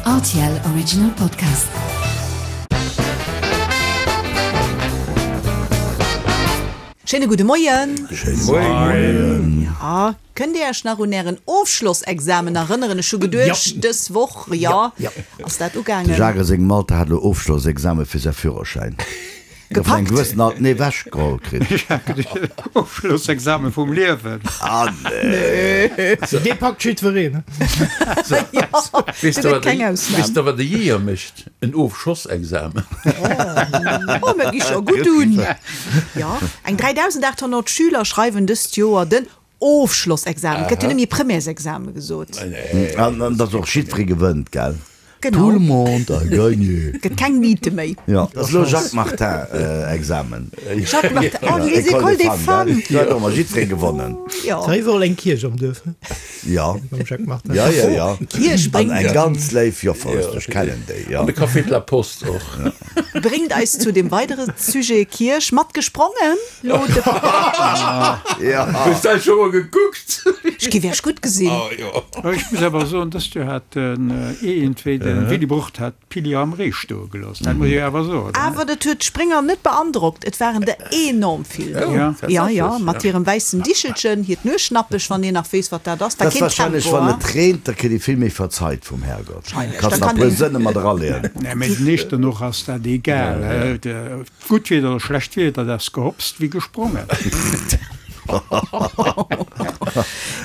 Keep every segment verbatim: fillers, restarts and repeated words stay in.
R T L Original Podcast. Schéine gudde Moien. Schéine Moien. Ja, kënnt Dir Iech nach un Ären Ofschlossexamen erënneren? Ech hu geduecht, dës Woch, jo, ass dat De ugaangen. Jacques sengem Alter hat elo Ofschlossexamen fir säi Führerschäin. Gëff eng Gepackt. gewëssen alt nee wechgeholl kritt. Ofschlossexamen vum Liewen. Ah nee. Dee packt jiddwereen. Jo, Weess do de gëtt wat keng de, Ausnam. weess de wat de Jeeër mécht? En Ofschossexamen. Oh, mir gi scho gutt un. Jo, eng dräidausendaathonnert Schüler schreiwen dëst Joer den Ofschlossexamen. Et gëtt jo net méi Premièresexamen gesot. An an dass och jiddweree gewënnt, gell? Genau. Tout le monde a gagné. Gëtt keng Niete méi. Jo, dat ass elo Jacques Martin Examen. Jacques Martin, oh, les écoles des femmes. Do huet och emmer jiddweree gewonnen. Jo. Ass iwwerall eng Kierch am Duerf, ne? Jo. Beim Jacques Martin. Ja, ja, ja. Kierch An bréngt. eng ganz léif Joffer, ech kennen déi, jo. An de Café de la Poste och. Bréngt eis zu dem weidere Sujet Kierch. Mat gesprongen lo de. Ja. Hues de scho mol gekuckt? Ech géif iech gutt gesinn. Oh jo. Ech muss awer soen, dëst Joer hat den iergendwéi de Willy Brucht hat d'Pilier am Ree stoe gelooss. Dat muss ech awer soen. Awer dat huet d'Sprénger net beandrockt. Et waren der enorm vill do. Ja. Ja, ja, mat hirem wäissen Dichelchen, hiert Nueschnappech, wann een nach weess, wat dat ass. War Dat ass keen wahrscheinlech, Tempo, wann hein? et reent, da kritt ee vill méi verzeit vum Herrgott. Wahrscheinlech. Kanns Da nach kann puer een. Sënne mat eraleeën. Nee, mee den Eechternoch ass dat egal. Gutt Wieder oder schlecht Wieder, dat ass gehopst wéi gesprongen.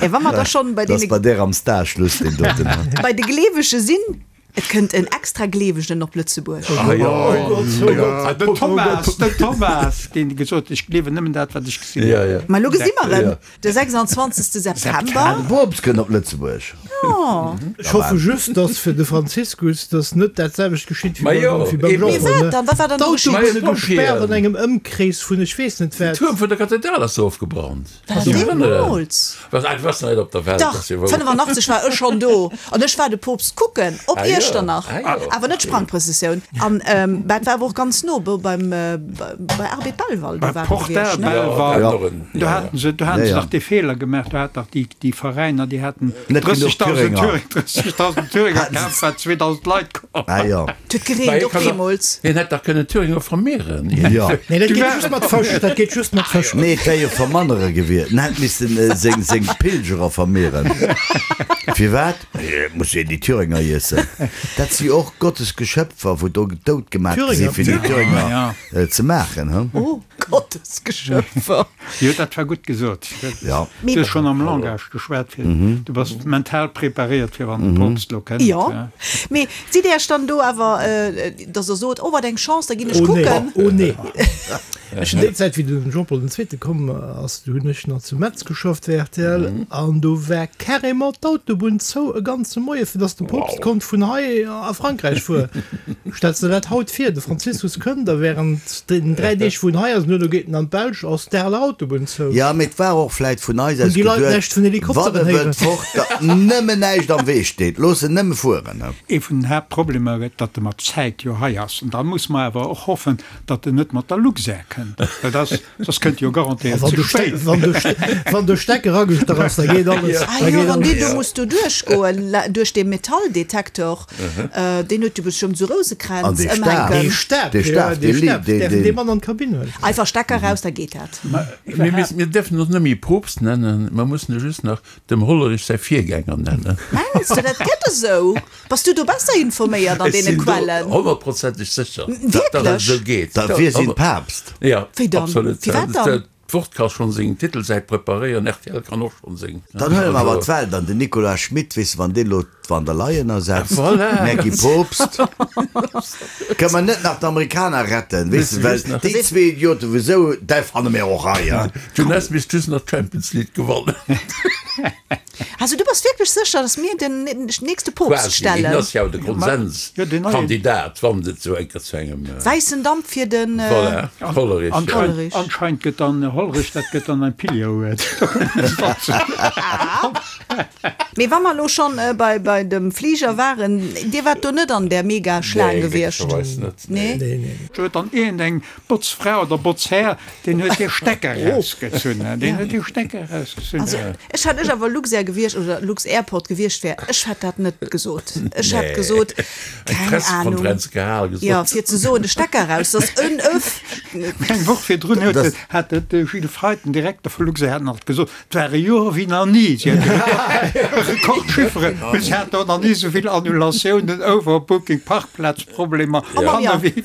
Ja, wa mer da schonn bei Dat ass deene. bei där am Stage lues deen doten. Bei de Gleewege sinn, et kënnt en extra Gleewegen op Lëtzebuerg. Ah jo, Oh Gott, Den Thomas, den Thomas, deen gesot huet, ech gleewen nëmmen dat, wat ech gesinn Ja, hunn. ja. Ma elo gesi mer en, de sechsundzwanzegste September. De Poopst kënnt op Lëtzebuerg. Jo. Ech hoffe just, dass fir de Franziskus, dass net dat selwecht geschitt Ma wéi jo, beim, wéi beim eben. Mee Jean-Paul, wat ne? dann? Wat war dann do geschitt? D'Autobunne Majo, gespaart an d'Pompjeeën. engem Ëmkrees vun ech weess net Den wat. Tuerm vun der Kathedral ass ofgebrannt. War deemools? Was, ach, was net op der Welt. Dach, ass jo wouer. fënnefanachtzeg war ech schonn do an ech war de Poopst kucken op Ah jo, Iechternach, ah jo. awer net Sprangprëssessioun. An dat war awer och ganz no beim, bei Arbed Belval, do Bei war e Portal gewiescht, ne? Belval. Ja, dat Do haten se, do haten Ja, se ja. dach dee Feeler gemaach, do hat dach déi, déi Veräiner, déi haten Net genuch drëssegdausend Thüringer. Thüringer, drëssegdausend Thüringer kaf, wat zweedausend Leit komm. Ah jo. Et huet gereent, och deemools. Hien hätt dach kënnen Thüringer vermehren. Jo. Nee, dat geet just mat Fësch, dat geet just mat Fësch. Nee, et wär jo vermannere gewiescht. En hätt missten seng, seng Pilgerer vermehren. Firwat? Et muss een déi Thüringer iessen. Dat si och Gottes Geschöpfer, wou do dout gemaach gi si Thüringer. fir déi Thüringer Ja. ze maachen, hu? Oh, Gottes Geschöpfer. Jo, dat war gutt gesot. Ja. Du hues schonn am Langage geschwat, fir, du bass mental preparéiert, fir wann de Poopst lo kënnt. Jo, mee sidd Dir Iech dann do awer, dass Der sot, oh wat eng Chance, da ginn ech Oh nee, kucken? oh nee. Ech hunn déi Zäit, wéi den Jean-Paul den Zweete komm ass, do hunn ech nach zu Metz geschafft fir R T L an do war carrément d'Autobunn zou e ganze Moie fir dass de Poopst konnt vun hei a Frankräich fueren. Stells de dat haut vir, de Franziskus kënnt a während den dräi Deeg wou en hei ass, duerno geet en an d'Belsch, ass d'Areler Autobunn zou. Ja, mee et war och vläit vun eis Hunn aus déi Leit geduet, näischt vun wann Helikopteren e héieren? wëllt fort, datt nëmmen näischt am Wee steet, looss en nëmme fueren. Ee vun den Haaptproblemer gëtt, datt e mat Zäit jo hei ass. An da muss mer awer och hoffen, datt en net mat der Luxair kënnt, well dass, soss kënnt e jo A garantéiert wann ze de Ste spéit. wann de Ste wann de Stecker agestach ass, da geet alles. Ah Da jo, geet wann deen alles. do muss do duerchgoen, duerch dee Metalldetektor, deen huet jo bestëmmt esou An Rousekränz dee Staf. ëmhänken. Dee Staf, Dee ja, Staf, dee dee Li Staf, dee, däerfen dee. dee mat an d'Kabinn huelen. Einfach Stecker raus, da geet dat. Mir missen, mir däerfen ons net méi Poopst nennen, mer mussen e just nach dem Hollerich säi Virgänger nennen. Mengs de, dat gëtt esou? Bass du do besser informéiert an Ech deene sinn do Quellen? honnertprozenteg sécher, datt dat Wierklech? esou geet. Da wier si Papst. Ja, Wéi dann? absolut. Firwat dann? D'Wort ka schonn seng Titelsäit preparéieren, R T L kann och schonn seng. Dann huele mer awer d'Welt an den Nicolas Schmit, weess de, wann dee lo d'Van der Leyen ersetzt, Voilà. mär gi Poopst. Kënne mer net nach d'Amerikaner retten, weess de, well déi zwee Idioten, wouesou, däi fanne mir och hei, hein. D'Jeunesse misst just nach d'Champions League gewannen. Also du bass wierklech sécher, dass mir den nächste Poopst Quasi, hien stellen? ass jo de Jo, den neien. Konsenskandidat, wann et esou eng Kéier zu engem. Wäissen Damp fir den. Voilà, Hollerich. Anscheinend, Hollerich. anscheinend gëtt dann Hollerich, dat gëtt dann ein Pilier. Mee wa mer elo schonn bei bei dem Fliger waren, Dir waart do net an där Mega-Schlaang Nee, gewiescht? glécklecherweis net, Nee? nee. Nee, nee. Do huet dann iergendeng Botzfra oder Botzhär, deen huet dee Stecker erausgezunn, deen huet dee Stecker erausgezunn. Also ech hätt ech awer Luxair gewiescht oder Lux-Airport gewiescht wär, ech hätt dat net gesot. Ech hätt Nee. gesot, Eng keng Ahnung, Pressekonferenz gehal, jo, gesot. fir ze soen, de Stecker eraus, dass en Öff. Eng Woch virdrun huet de, hat de Gilles Feith, den Direkter vu Luxair, hat nach gesot, et war e Joer wéi nach ni. Si hätte Rekordchifferen, mee si haten och nach ni esou vill Annulatiounen, Overbooking, Parkplazproblemer, Panne wéi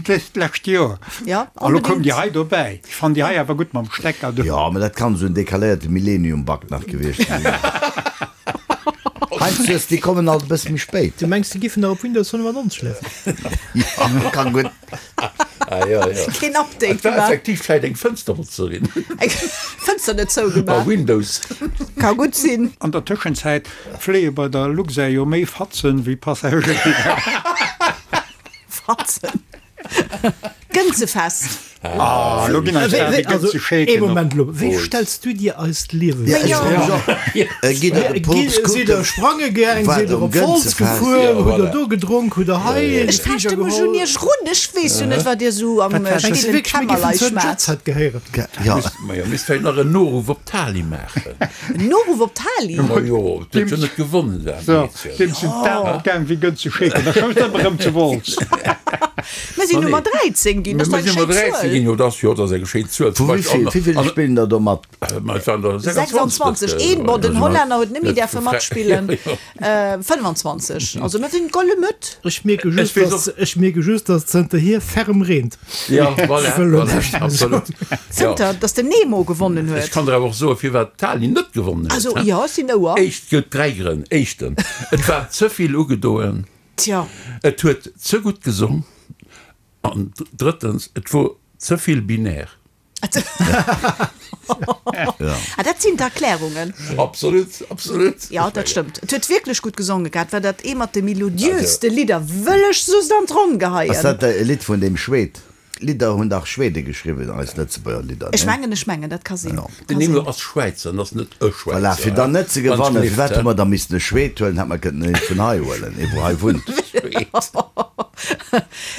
dëst lescht Joer. Ja, A lo koum onbedéngt. déi hei dobäi. Ech fannen déi hei awer gutt mam Stecker do. Jo, mä dat kann esou en decaléierte Millennium-Bug nach gewiescht sinn. Heiansdo, déi kommen alt e bësse méi spéit. Du mengs, déi giffen nach op Windows fënnefannonzeg lafen? Jo, kann gutt. Ah, ja, ja. Keen Update Et war gemaach. effektiv vläit eng Fënsterbotzerin. Eng Fënster net Bei zougemaach. Windows. Ka gutt sinn. An der Tëschenzäit fléie bei der Luxair jo méi Fatzen wéi Passagéier. Fatzen. Gënzefest. Ah, lo ginn eis Wéi, awer wéi, déi also, Gënze ee Scheeken op. Moment elo, wéi stells du dir eist Liewe Ja, vir? ech froe mech och. Äh, Gitt der de Gi, Poopst sidd kucken, der sprange gaang, wat sidd der um op Wolz Gënzefest. gefuer, Ja, hutt der voilà. do gedronk, hutt der hei Ech de fechte Fliger mech un geholl? iech run. Ech weess jo net, wat dir sou am Wat war dat? Mengs du stillen wierklech, mir giffen Kämmerlein zur schmaat. Jet Set gehéieren? Ja, Ma jo, misst vläicht nach en Noruff op d'Tali maachen. En Noruff op d'Tali? Ma jo, d'huet jo net gewonnen, dat So, Meedchen. deem sinn d'Aen opgaang wéi Gënze Scheeken. Da schoust ëmmer erëm zu Wolz. Mir sinn Ma nee. Nummer dräizéng ginn, dat Mir ass dach sinn eng Nummer schéin dräizéng Zuel. ginn, jo, dat ass, jo, dat ass eng schéin Zuel. Vu Zum wéi Beispill vill, an, wéi vill an, spillen der do mat? ma et waren der sechsundzwanzeg, sechsundzwanzeg, een, bon, den also, Hollänner huet net méi net däerfe vu Fra- matspillen, Ja, jo. äh, fënnwanzwanzeg, also mir sinn d'Golle Mëtt. Ech mierke Ech just, weess dass, och- ech mierke just, dass zënterhier ferm reent. Ja, voilà, Ech wëll lo voilà, näischt méi absolut. soen. Ja. Zënter, dass den Nemo gewonnen Ech huet. kann der awer och soen, firwat d'Tali net gewonnen huet, Also, hä? jo, ech sinn ouer. Éischt, gëtt dräi Grënn. Éischten, et war ze vill ugedoen. Tja. Et huet ze gutt gesong. An drëttens, et wor ze vill binär. Ah, dat sinn d'Erklärungen. Absolut, absolut. Ja, dat stëmmt. Et huet wierklech gutt gesonge gehat. War dat ee mat de melodiöste Lidder, wëll ech soss an d'Ronn Ass geheien. dat e Lidd vun deem Schwed? Lidder hunn dach Schwede geschriwwen, eis Lëtzebuerger Lidder, Ech ne? mengen, ech mengen, dat ka sinn. Ja. Den Ka Nemo sinn. ass Schwäizer an ass net e Voilà, Schwäizer, fir dann net ze Wann gewannen, ech firwat hu gelift, mer da missen e Schwed huelen, hätt mer kënnen een vun hei huelen, ee wou hei wunnt. Schwed.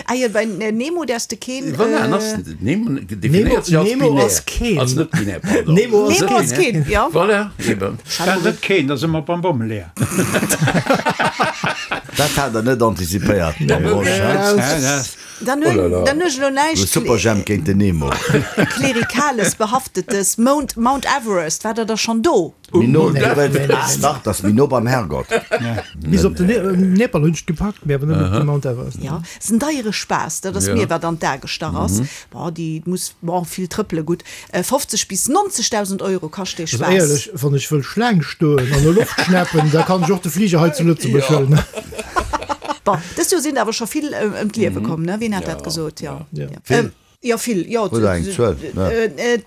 Ah jo, bei Nemo däerfs de keen, Voilà, an ass äh, Nemo Nemo, definéiert sech als Nemo binär. ass keen. Als net binär, pardon. Nemo ass Nemo ass keen. keen, ja. Voilà, eben. Dat net keen, da si mer beim Bommeleeër. Dat hat der net antizipéiert, Här Rosch, hä? Ja, dat. Dann Oh la hunn, la. dann hunn ech elo De näischt Superjhemp géint den Nemo. Klerikales behaftetes. Mount, Mount Everest, war der da schonn do? Méi no, Nee, nee, nee, nee. Dach, dat ass méi no beim Herrgott. Bis op den Ne Nepal hunn ech gepackt, mee awer net op de Mount Everest. Ja, ass en deiere Spaass, dat ass Ja. mir wat an d'A gestach ass. Boah, déi muss, boah, vill trëppele, gutt fofzeg bis nonzegdausend Euro kascht dee Also Spaass. éierlech, wann ech wëll Schlaang stoen an no Loft schnappen, da kann ech och de Fliger hei zu Lëtzebuerg Ja. huelen. Bon, dëst Joer sinn awer scho vill ëm d'Liewe komm, ne? Wien hat dat gesot? Ja. Ja. Ja. Vill? Ähm, ja, vill. Ja, Hutt Der eng Zuel? Ne. Äh, äh,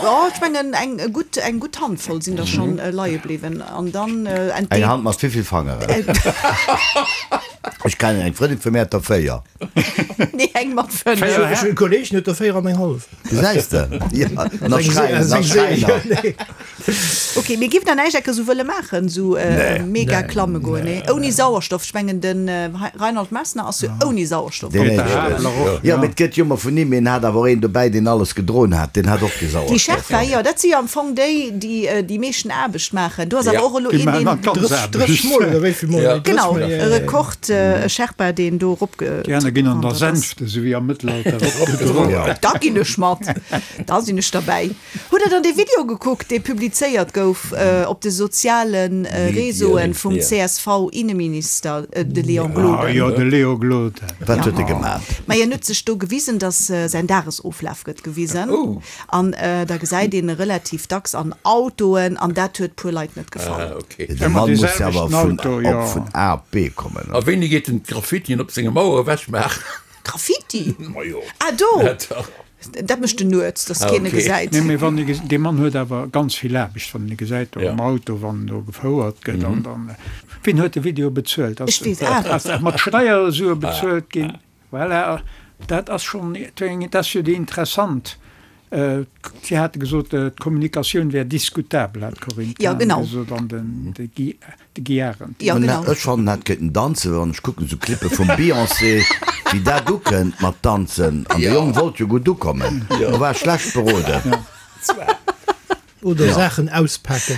ja, ech mengen eng gutt, eng gutt Handvoll sinn der schonn äh, leie bliwwen. An dann äh, Eng entdeet. Hand mat wéivill Fangeren? Ech kennen eng Frëndin vu mir hat der véier. Nee, eng mat fënnef. Véier, Ech hunn e Kolleg, den huet der véier an eng hallef. Gesäis de? Ja, nach Eng Se- Schräiner, nach eng Serie, Schräiner. nee. Ok, mir giff dann näischt ecke sou wëlle maachen, sou äh, Nee. mega Nee. klamme goen, nee. Ouni Sauerstoff. Ech mengen, den äh, Reinhold Messner ass jo ouni Sauerstoff. Deen Peter éischte. Habeler och, Ja, ja. mee et gëtt jo ëmmer vun him, een hat awer och een dobäi, deen alles gedroen hat, deen hat och kee Déi Sauerstoff. Sherpa, jo, dat si jo am Fong déi, déi äh, déi meeschten Aarbecht maachen. Do ass awer Ja. och elo Déi een, maachen deen. dann d'ganz Drësseg, Aarbecht. drësseg Mol oder wéi vill Mol? Ja. Nee, drësseg Genau, Mol, ja, e ja, ja. Rekord, äh, e Sherpa, deen do eropge. Déi aner ginn an der ass. Sänfte, sou wéi am Mëttelalter, eropgedroen. Ja. Da ginn ech mat. Da sinn ech derbäi. Hutt Der dann dee Video gekuckt, dee publizéiert gouf äh, op de sozialen äh, Medien, Réseauen vum ja. C S V-Inneminister, äh, de Léon Ah, Gloden? jo, de Léo Gloden. Wat huet e gemaat? Ma hien huet sech do gewisen, dass äh, säin Dagesoflaf gëtt gewisen. Oh. An äh, da gesäit een e relativ dacks an Autoen, an dat huet puer Leit net gefall. Ah, okay. De Ëmmer Mann dee muss jo awer selwechten vun, Auto, op jo. vun A op B kommen. A wéini geet en d'Graffitien op senger Mauer ewechmaachen? Graffiti? Ma jo. Ah, do! Ja, dach. Dat mécht en nuets, dass Ah, keen e okay. gesäit. Nee, mee wann e dee Mann huet awer ganz vill Aarbecht, wann en e gesäit do Ja. am Auto, wann en do gefouert gëtt an dann, wien huet de Video bezuelt? Ass, Ech weess awer. ass dat mat Steiersue bezuelt ginn? Voilà, dat ass schonn, dat ass jo déi interessant Si hate gesot, d'Kommunikatioun wär diskutabel, hat d'Corinne Ja, Cahen genau. gesot, an den, de Guy, de Guy Arendt. Ja, genau. Ech fannen, hat kéinten danzen, wann ech kucken esou Clippe vum Beyoncé, wéi dat ukënnt mat danzen. An de Jong wollt jo gutt ukommen, do war schlecht beroden. Oder Saachen auspaken.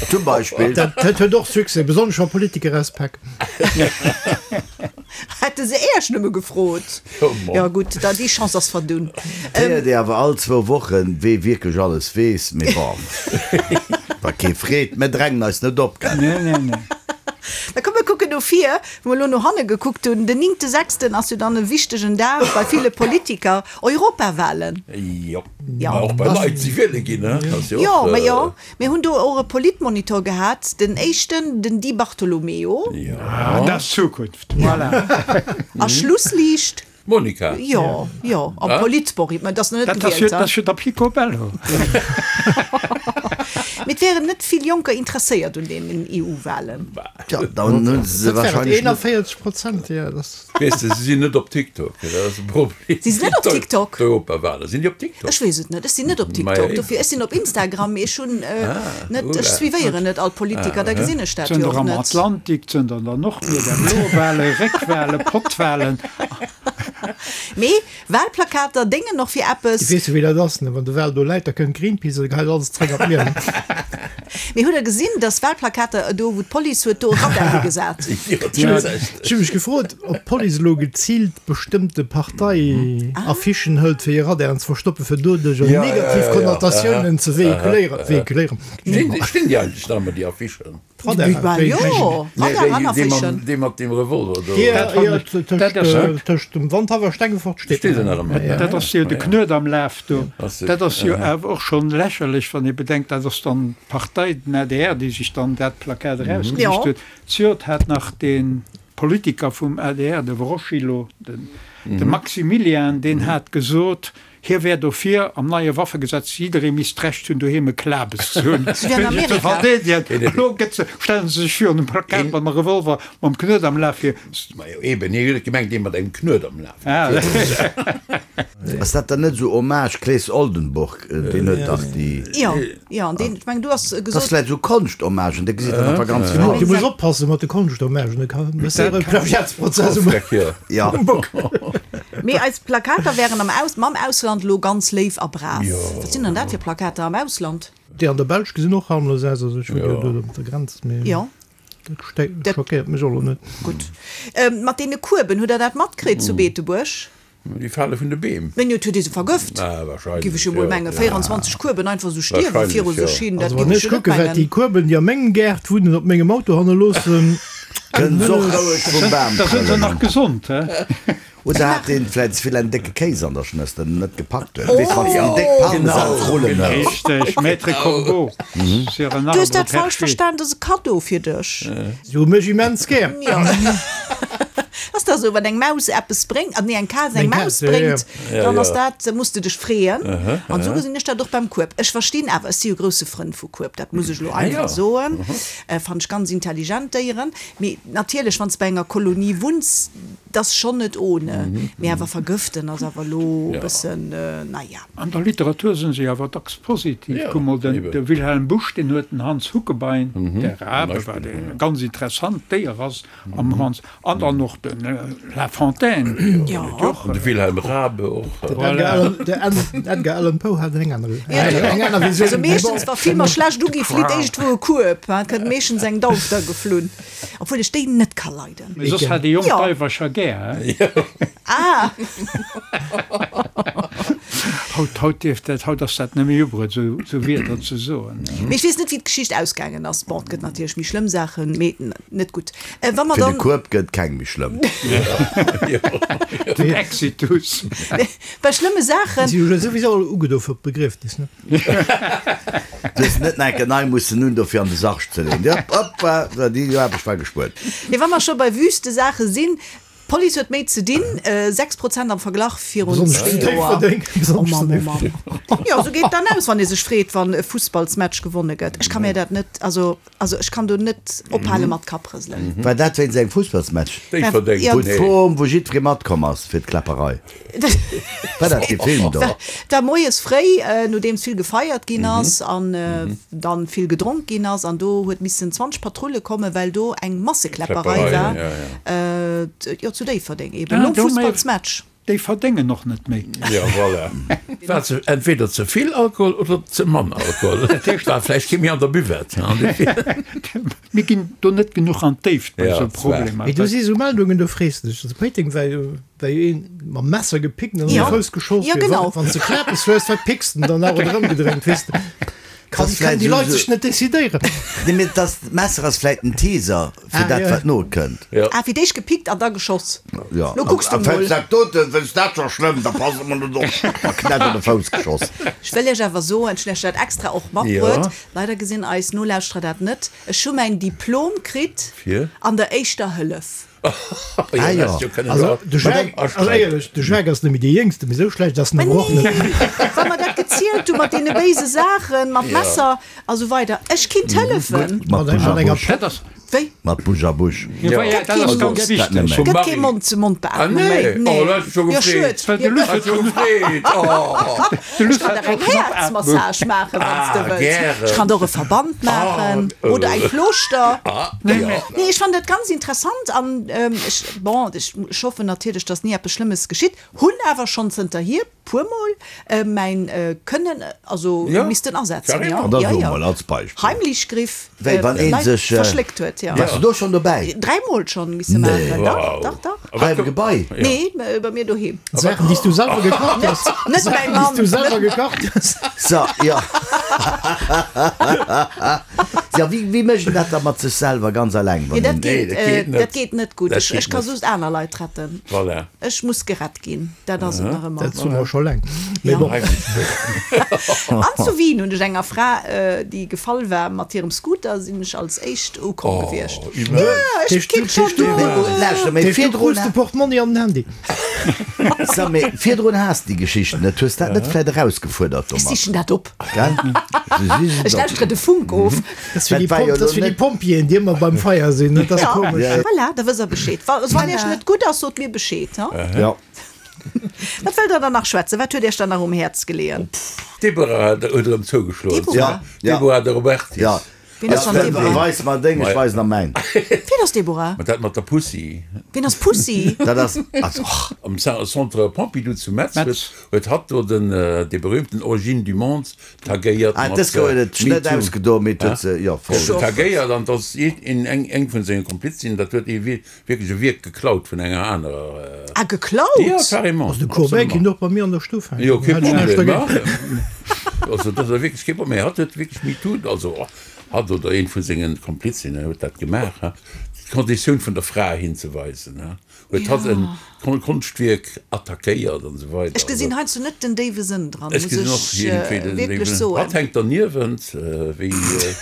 Zum Beispill. Dat huet och Succès, besonnesch wa Politiker auspaken. Hätte se Iech nëmme gefrot. Jo gutt, da déi Chance ass verdunn. D'héiert ee awer all zwou Wochen, wee wierklech alles weess. Mee bon, wa kee freet, mir drängen eis net op, gell? Nee, nee, nee. Da komm mir kucken no vir, wou mer elo no hanne gekuckt hunn. Den néngte sechsten ass jo dann e wichtegen Dag bei ville Politiker, Europawahlen. Jo, Ja. ma och bei Leit, déi wiele ginn, ne? Ass jo Jo, och, ma jo, mir hunn do och e Politmonitor gehat, den éischten, den Di Bartolomeo. Ja. Ah, dat ass d'Zukunft, voilà. A Schlussliicht. Monica. Jo, jo, am Politbori, mä et ass nach net Dat ass jo, gewielt, dat ass jo der Picobello. Mee et wären net vill Jonker interesséiert un deenen E U-Wahlen. Tja, dann hunn se se Dat wären wahrscheinlech net. eenanvéierzeg Prozent, jo, dat ass. Weess de, se sinn net op TikTok, dat ass e Problem. Si sinn net op TikTok? D'Europawahlen, sinn déi op TikTok? Ech weess et net, ech sinn net op Maja, TikTok, eben. dofir, ech sinn op Instagram, mee ech hunn net, oula. ech suivéieren net all Politiker, da gesinn ech dat jo Zënter och am net. Atlantik, zënter an der Nordmier, der Blowale, Réckwale, Pottwalen. Mee Wahlplakater déngen och fir eppes. Weess de wéi dat ass, ne? Wann de Wal do läit, da kënnt Greenpeace a geheit alles zréck an d'Mier. Mee hutt der gesinn, dass Wahlplakater do wou d'Police huet do e Radar higesat? Jo, dat ass echt. Ech hu mech gefrot, ob d'Police elo geziilt bestëmmte Parteiaffichen hëlt, fir hir Radaren ze verstoppen, fir doduerch Ja, ja, negativ ja, ja. Konnotatiounen ze vehiculéieren. Vehiculéieren. Stinn stinn déi eigentlech nach ëmmer, déi Affichen? Radaren, Bah, wéi- jo, Nee, Radar an déi, déi mam, Affichen. déi mat dem Revolver do. Ja, Dat fand ja, ech- tëscht, dat ass äh, tëscht dem Wandhaff a Stengefort steet Steet se nach ëmmer? Ja, ja. Dat ass jo de Knuet am Laf do. Ass se- Dat ass jo awer och schonn lächerlech, wann ee bedenkt, dat ass dann d'Partei, den A D R, déi sech dann dat Plakat erausgesicht Ja. huet. Zejoert hat nach de Politiker vum A D R, de Wroschilo, den, de Maximilian, deen hat gesot, hie wär dofir, am neie Waffegesetz, jidderee misst d'Recht hunn, doheem e Klabes ze hunn. Sou wéi an Fir sech ze Amerika. verdeedegen. Elo gëtt se, stellen se sech virun e Plakat mam Revolver, mam Knuet am Laf fir. Majo, eben, hie huet gemengt, dee mat engem Knuet am Laf. Ah, Ass dat dann net esou Hommage Claes Oldenburg, deen huet dach déi. Jo, jo, an deen, ech mengen, du has Dat ass gesot. vläicht esou Konscht-Hommagen, da gesitt een einfach ganz Du flott. muss oppassen mat de Konscht-Hommagen, da kann e séiere Plagiatsprozess um Ja. Bock. Mee eis Plakater wären am Aus, mam Ausland elo ganz léif a brav. Jo. Wat sinn dann dat fir Plakater am Ausland? Déi an der Belsch gesinn och harmlos aus, also ech wunn jo Jo. do op der Grenz, mee Jo. dat ste- Dat- schockéiert mech och elo net. Gutt. Ähm, mat deene Kueben, hutt der dat matkritt zu Beetebuerg? Déi fale vun de Beem. Mee jo, et huet ee se vergëft. Ah, wahrscheinlech, Giff ech jo mol jo. mengen. véierundzwanzeg Kueben einfach sou stierwe Wahrscheinlech, viru jo. sech hin, dat Also giff wann ech ech jo net kucke wat déi mengen. Kueben, déi a mengem Gaart wunnen, op mengem Auto hannerloossen, Kënnen se och roueg vum Bam Da sinn se trëllen. nach gesond, hä? Oder hat deen vläit ze vill en décke Kéis an der Schnëss, den en net gepackt huet? Weess, wann s de déi déck Parmesansrullen hues. Richteg, Maître Corbeau sur un Du hues arbre dat falsch perché. verstan, dat ass e Kaddo fir dech. Si hu mech immens gär. Jo. Ass da sou, wann eng Maus eppes bréngt, ah nee, eng Kaz eng Eng Maus Kaz, ja, ja. bréngt, Ja, dann ass ja. dat, da muss de dech freeën. An sou gesinn ech dat och beim Kueb. Ech verstinn awer, ech si jo grousse Frënd vu Kueb, dat muss ech elo Ah, ja. einfach soen. Fannen ech ganz intelligent Déieren. Mee natierlech, wann s bei enger Kolonie wunns, dat ass schonn net ohne. Mee awer vergëften ass awer elo e Ja. bëssen, naja. An der Literatur sinn se awer dacks positiv. Ja, Kuck mol, den, eben. de Wilhelm Busch, deen huet den Hans Huckebein, der zum Rabe, Beispill, wat e ja. ganz interessant Déier ass am Hans, an dann och den La Fontaine. Ja. An de Wilhelm Rabe och. De Edgar Allan Poe hat eng aner eng aner Visioun. Also meeschtens, wa Filmer schlecht ugi flitt éischt wou e Kueb, hein, kënnt meeschtens eng Dauf da geflunn. Obwuel ech déi net ka leiden. Mee soss hat déi jonk Ja. Daiwercher gär, hä? Ah! Haut, haut dierf dat, haut ass dat net méi ubruet, sou, sou Wierder ze soen. Mee ech weess net, wéi d'Geschicht ausgaangen ass. Bon, et gëtt natierlech méi schlëmm Saachen, mee net gutt. Äh, wa mer Fir de dann. Kueb gëtt keng méi schlëmm. Den Exitus. Bei schlëmme Saachen. Si hu jo souwisou all ugedo fir d'Begriefnis, ne? Du hues net nach enke nei mussen hunn, dofir an de Sarg ze leeën. Hopp, hopp, déi Aarbecht war gespuert. Mee wa mer scho bei wüste Saache sinn, D'Police huet méi ze dinn, sechs Prozent am Verglach virun Besonnesch zwee zu Joer. Déifferdeng. Oh Besonnesch zu Mann, oh Mann. Déifferdeng. Jo, sou geet et dann aus, wann ee sech freet, wann e Fussballsmatch gewonne gëtt. Ech ka mir dat net, also, also ech kann do net ophale mat Kapprëselen. War dat wéinst engem Fussballsmatch? Déifferdeng, Ja. Wou nee. d'Form, wou jiddweree matkomm ass fir d'Kläpperei. War dat dee Film do? Da moies fréi, nodeems vill gefeiert ginn ass an dann vill gedronk ginn ass, an do huet missen zwanzeg Patrulle kommen, well do eng Massekläpperei Kläpperei, war. ja, ja. Jo, zu Déifferdeng eben, Ah, nom do méi- Fussballsmatch. Déi verdéngen och net méi. Ja, voilà. War ze, entweder ze vill Alkohol oder ze mann Alkohol. War vläicht kee méi an der Buvette. Mir ginn do net genuch an d'Déift bei Ja, esou dat war. Problemer. Mee do si sou Meldungen, do frees de dech. Also Péiteng war jo, war jo een mam Messer gepickt an an Ja. de Fouss geschoss Ja, ginn. genau. Wann s de Kläppes hues, wat picks de dann nach oder ëmgedréint, weess de? Kann, Das kann vläicht déi so- Leit sech net decidéieren. Nee, mee das Messer ass vläicht en Teaser fir Ah, dat, ja. wat nokënnt. Ja. Ah, fir d'éischt gepickt an da geschoss. Ja. Lo kucks du A- a mol. fällst dat doten, wenn's dat scho schlëmm, da pass emol net op. A Knäpp an de Fouss geschoss. Ech wëll iech awer soen, ech hunn iech dat extra och matbruet. Ja. Leider gesinn eis Nolauschterer dat net. Ech hu mäin Diplom kritt Fir? an der éischter Hëllef. Ah, ja. Also, de Jacques, also éierlech, de Jacques ass net méi dee Jéngste, mee sou schlecht ass en awer och net. Wa mer dat gezielt hu mat deene béise Saachen, mat Messer a sou weider. Ech kinnt hëllefen. Mat Mat enger- Busch a mat enger Busch. Dat ass, Wéi? Mat Busch a Busch. ja, ja, dat ass ganz Dat wichteg. net méi. Gëtt Marie. kee Mond zu Mond Ah, beatmung nee. méi. Nee. Oh, dat huet scho Jo, gefreet. schued. Well de Luss Hat scho gefreet. Oh. De Luss Ech kann hat der eng scho knapp Atmung. Häerzmassage maachen, wann s de Ah, wëlls. gären. Ech kann der och e Verband maachen Ah, oder eng Plooschter. Ah, Nee, ja. nee. Nee, ech fand dat ganz interessant an ähm, ech, bon, ech, ech hoffen natierlech, dass ni eppes Schlëmmes geschitt, hunn awer schonn zënterhier puermol äh, mäin äh, Kënnen also Ja. missten asetzen. Carrément. Ja, An da ja, so ja. mol als Beispiel. Heimlichgriff Wéi, wann een Leit sech, äh, verschléckt huet, ja. Warst du do schonn dobäi? Dräimol schonn misse Nee. maachen. Dach, Wow. dach, dach. Hei am Gebai? Nee, äh, bei mir doheem. Saachen, déi s du selwer gekacht hues. Net mäi Déi s Mann. du selwer gekacht hues. So, ja. Ja, wéi, wéi mécht een dat da mat sech selwer ganz alleng, wann Nee, dat een- Nee, geet, dat äh, geet net. dat geet net gutt. Dat Ech, geet ech ka net. just aner Leit retten. Voilà. Ech muss gerett ginn. Dat ass et nach ëmmer. Dat soe mer scho laang. Mee Ja. bon. An zu Wien hunn ech enger Fra, äh, déi gefall war mat hirem Scooter, sinn ech als éischt ukomm Oh, gewiescht. immens. Ja, ech Tisch- kinn schon Tisch- do. Mee, lauschter, mee Tisch, du virdrun krus de Portmonni an den Handy. So, mee virdrun has déi Geschichten net. Hues dat net vläicht erausgefuerdert Ech domat? sichen dat op. Gell? Du sichs et Ech op. lauschtere de Funk of. Dat ass fir déi Dat war Pom- jo dat ass lo fir déi net- Pompjeeën, déi ëmmer beim Feier sinn. Dat ass Ja. komesch. Ja. Voilà, da wësst der Bescheed. Wa- Wann iech net gutt ass, sot mir Bescheed. Ha? Ja. Wat wëllt der dann nach schwätzen? Wat huet iech dann nach um Häerz geleeën? Deborah hat huet erëm zougeschloen. Deborah? Ja, ja. Deborah de Robertis. Ja. Wien ass dann Ja, Deborah? Weis mer deng, ech weisen der mäin. Wien ass Deborah? Mat dat mat der Pussy. Wien ass Pussy? Dat ass, also, och. Am Centre Pompidou zu Metz Metz. huet, huet hatt do den, äh, de berühmten Origine du Monde tagéiert Ah, mat, dës gouf äh, et net MeToo. ausgedo, mee huet se, ja, voll. Huet se tagéiert an das in eng, eng vun senge Komplizinnen, dat huet ee wierklech e Wierk geklaut vun enger anerer. Äh, Ah, geklaut? Ja, carrément. Also de Courbet kinnt och bei mir an der Stuff hänken. Jo, kee Hätt ech näischt Problem. dagéint. ja. Also dat ass wierklech kee Problem. Hatt huet wierklech MeToo, also oh, hatt oder een vun sengen Komplizinnen huet dat gemaach, ha. D'Konditioun vun der Fra hinzeweisen, ha. Huet hatt en Kon-, Konschtwierk attackéiert an esou weider. Ech gesinn heiansdo net den déiwe Sënn dran, Ech muss gesinn och ech, iergendwéi äh, den wierklech déiwen- soen. Hatt hänkt derniewent, äh, wéi, äh,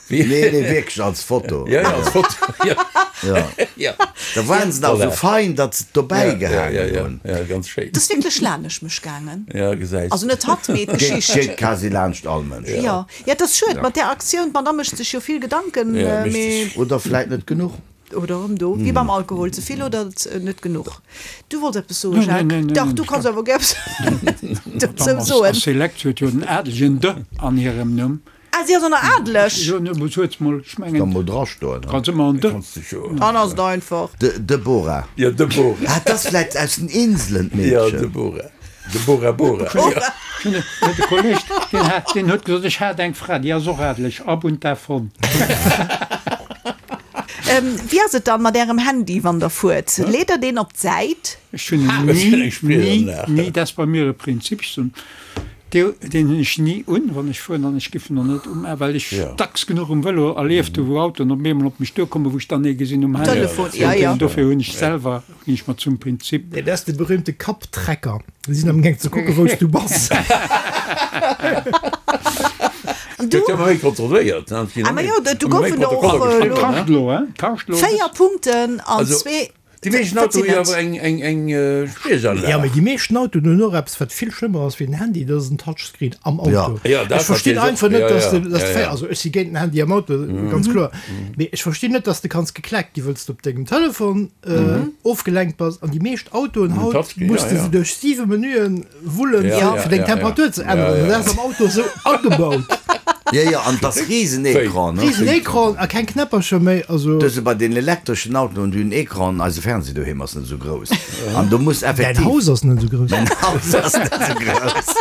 wéi Nee, nee, wierklech als Foto. Ja, ja, als Foto. Ja. Ja. Ja. Da waren se nach Voilà. sou fein, datt se dobäi Ja, ja, gehaangen ja, ja. hunn. Ja, ganz schéin. Dat ass wierklech laanescht mech gaangen. Ja, gesäis. Also net hatt, mee Geet, d'Geschicht. geet quasi laanscht all Mënsch. Ja, ja, dat ass schued mat där Aktioun. D'Madame mécht sech jo vill Gedanken, Ja, äh, mécht mee sech. Oder vläit net genuch. Oder erëm do, wéi beim Alkohol, ze vill oder net genuch. Du wollts eppes soen, Nee, nee, Jacques? nee, nee, Dach, nee, du ich kanns kann- awer gär eppes dozou Ass soen. Select huet jo den adelegen de an hirem Numm. Ah, si ass och nach adeleg? Jo, ne, muss huet mol, ech Kann mengen, mol drastoen, kanns ëmmer en de. Kanns du scho. Dann ass et einfach. De, Deborah. Ja, Deborah. Ah, dat ass vläit aus den Inselen, Ja, d'Meedchen. Deborah. Deborah Bora. Ja. De Kolleg, deen hat, deen huet gesot, ech hat eng Fra, déi ass och adeleg, ab und davon. Ähm, wéi ass et dann mat ärem Handy, wann der fuert? Leet der deen op d'Säit? Ech hunn en Das ist ni, eng Spielanlage. ni, ni, dat ass bei mir e Prinzip, ech soen, dee, deen hunn ech ni un, wann ech fueren, an ech giff en och net um, well ech Ja. dacks genuch um Vëlo erlieft hu, wou Autoen op eemol op mech duerkommen, wou ech dann ee gesinn um Handy. Telefon, ja, ja. Dofir hunn ech selwer, ginn ech mer zum Prinzip. Nee, dat ass de berühmte Kapptrecker. Déi sinn am Gaang ze kucken, wou s du bass. An du? Gëtt jo ëmmer méi kontrolléiert, ne? Ah, ma jo, do Ëmmer méi goufen der och, Protokoller äh, geschriwwen, lo- ne? Kascht lo, hein? Kascht lo. Véier Punkten an Also, zwee Déi meeschten Dat Autoen sinn hu jo net. awer eng, eng, eng Spriechaanlag. Jo, mee déi meeschten Autoen hunn och eppes, wat vill schlëmmer ass wéi den Handy, dat ass en Touchscreen am Auto. Ja, dat Ech verstinn natierlech einfach och. net, Ja, dass ja. de, dass Ja, de ja. also ech si géint den Handy am Auto, ganz kloer, mee ech verstinn net, dass de kanns gekleckt gi wëlls de op dengem Telefon ofgelenkt bass. An déi meescht Autoen haut Touchscreen, muss ja, de ja. se duerch siwe Menüen wullen, Ja, fir ja, fir deng ja, ja. Temperatur ze Ja, änneren. ja, Dat ass am Auto esou agebaut. Ja, ja, an das Riesenecran, ne? Riesen Ecran a keng Knäppercher méi, also. Dëse bei den elektreschen Autoen, déi hunn Ecran, eise Fernseh doheem ass net esou grouss. An du muss Däin effektiv. Haus ass net esou grouss. Mäin Haus ass net esou grouss.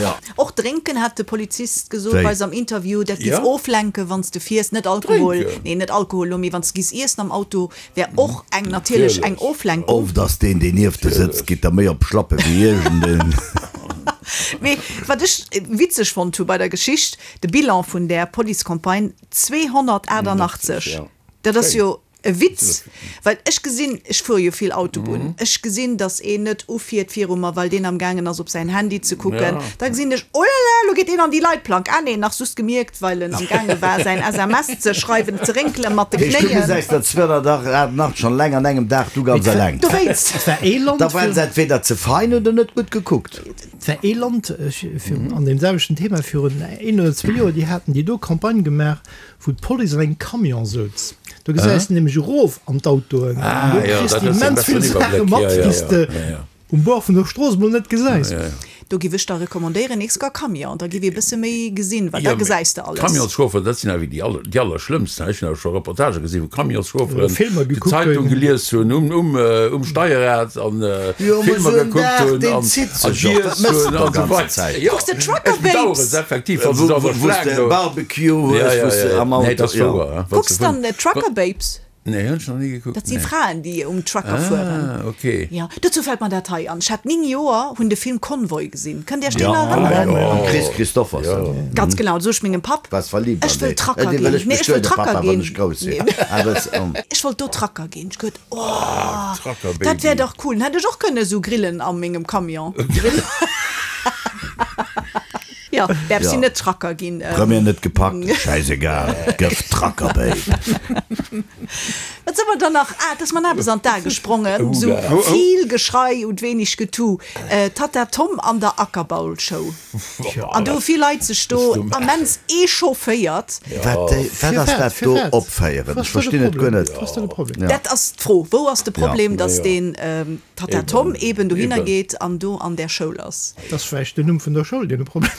Ja. Och drénken hat de Polizist gesot Wéi? bei eis am Interview, dat giff Ja. oflenken, wann s de fiers. Net Alkohol, Drénken? nee, net Alkohol lo, mee wann s de giss iessen am Auto, wär och eng natierlech eng Natierlech. Oflenkung. Oft ass deen, deen nieft der sëtzt, geet der méi op d'Schlappe wéi iergendeen. Mee wat ech witzeg fonnt hu bei der Geschicht, de Bilan vun där Policecampagne, zweehonnertachtundachtzeg. Ja. Dat ass Schéin. jo e Witz, well ech gesinn, ech fuere jo vill Autobunn, ech gesinn, datt een net ufiert viru mer, well deen am gaangen ass op säin Handy ze kucken. Ja. Da gesinn ech, oh là là, lo geet een an déi Leitplank. Ah nee, nach just gemierkt, well en am gaange war säin S M S ze schreiwen, ze rénkele mat de Heescht, du Knéien. gesäis dat zweehonnertachtundachtzeg schonn laang an engem Dag, du ganz eleng. Dowéinst. Et war ee Land Da waren fir- se entweder ze fein oder net gutt gekuckt. Et war ee Land, ech, fir, an deem selwechten Thema virun een oder zwee Joer, déi haten déi do Campagne gemaach, wou d'Police an engem Camion souz. Do gesäis du nämlech erof an d'Autoen. Ah, Do ja, kriss dat du ass ja immens besser vill Saache Iwwerbléck. mat, Ja, ja, déi s ja. de Ja, ja. um Bord vun der Strooss mol net gesäis. Ja, ja. Do giff ech da recommandéieren, nächst Kéier Camion, da giff ee bësse méi gesinn, well da Ja, mee gesäis de alles. Camionschauffer, dat sinn awer déi aller, déi allerschlëmmsten. Ech hunn awer scho Reportage gesinn, wou Camionschauferen Filmer die gekuckt Zeitung hunn. gelies hunn um, um, äh, um Steierrad an, äh, Jo, mee Filmer sou en gekuckt Dag, hunn deen an, zitt an sech och. Dat giess méchs hunn de an doch sou ganze weiter. Zäit. Ja, Kucks de Trucker ech bedauere Babes? es effektiv, wann Wou, se da wou, wou verschlagen s de do. Barbecue Ja, hues, ja, wou s de ja. am Nee, Auto, dat ass ja. wouer, hè. Wann Kucks se dann vun- Trucker Babes? Nee, hunn ech nach ni gekuckt, Dat si nee. Fraen, déi um Trucker fueren. Ah, okay. Ja, dozou fält mer dat hei an. Ech hat néng Joer, hunn de Film Convoy gesinn. Kënnt Dir Iech deen Ja, erënneren? ja. Mam Kris Kristofferson. Ganz genau, sot ech mengem Papp, Was verliebt ech an wëll dee. Trucker Dee wëll ginn. ech Nee, ech wëll bestuede, Trucker Papa, wann ginn. ech grouss sinn. Nee. Ah, dat, um. Ech wollt do Trucker ginn. Ech geduet, oh, Ah, Trucker dat wär Baby. dach cool. Dann hätt ech och kënne sou grillen a mengem Camion. Grillen? Ja, däerf Ja. si net Trucker ginn. Ähm, Première net gepackt, scheißegal, gëff Trucker Babe. Wat soll man dann nach? Ah, dass man eppes an d'A gesprongen. Oh, So da. Oh, oh. vill Geschrei und wenig Getu. Äh, Tata Tom an der Ackerbaulshow. An do vill Leit sech do immens echaufféiert. Wat, äh, wat ass dat do opféieren? Was Ech verstinn et guer net. Was ass da de Problem? Ja. Dat ass d'Fro. Wou ass de Problem, Ja. dass Ja. den ähm, Tata Eben. Tom eben dohinner Eben. geet an do an der Schoul ass? Dat ass vläicht den Numm vun der Schoul, deen e Problem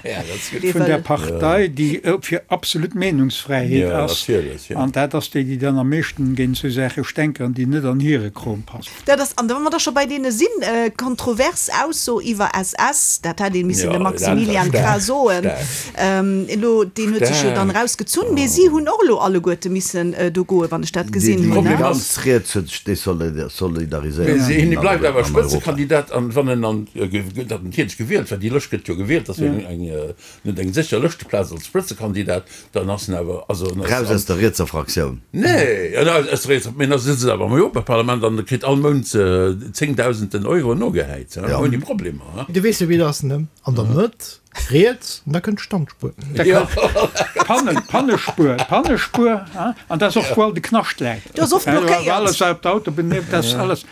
Ja, dat ass gutt. Dee Vun der wëll- Partei, déi äh, fir absolut Meenungsfräiheet Ja, ass. natierlech, ja. An dat ass déi, déi dann am meeschten géint sou Saache stänkeren, déi net an hire Krom passen. Dat ass, an wa mer da scho bei deene sinn, äh, kontrovers Ausso iwwer S S, dat hätt ee missen Ja, de Maximilian dat war Krah soen. stark. Ähm, elo, deen huet sech jo dann Stark. rausgezunn, mee si hunn och elo alleguerte missen, äh, do goen, wann ech dat Déi, gesinn déi hunn, Problem ne? ass- ganz riets huet sech desolidariséiert. Mee si- hie bleift awer An Europa. Spëtzekandidat an wann en an, äh, ge-, ge-, dat natierlech gewielt, well déi Lëscht gëtt jo gewielt, dat ass jo eng, eng, äh, net eng sécher Lëschteplaz als Spëtzekandidat, dann ass en awer, also en ass Raus an aus der rietser Fraktioun. Nee, ja, na, aus der rietser, mee da sëtzt en awer am Europaparlament an kritt all Mount, äh, zéngdausenden Euro nogehäit, ja, Ja. ouni Problemer, ja. Du weess jo, wéi dat ass, ne? An der Mëtt, riets, an da kënnt d'Standspuer. Da Ja. kann Pannen, Pannespuer, Pannespuer, ja? An dat ass och, wou all de Knascht läit. Do ass oft Ja, blockéiert. alles op d'Autobunn nieft, dat ass alles.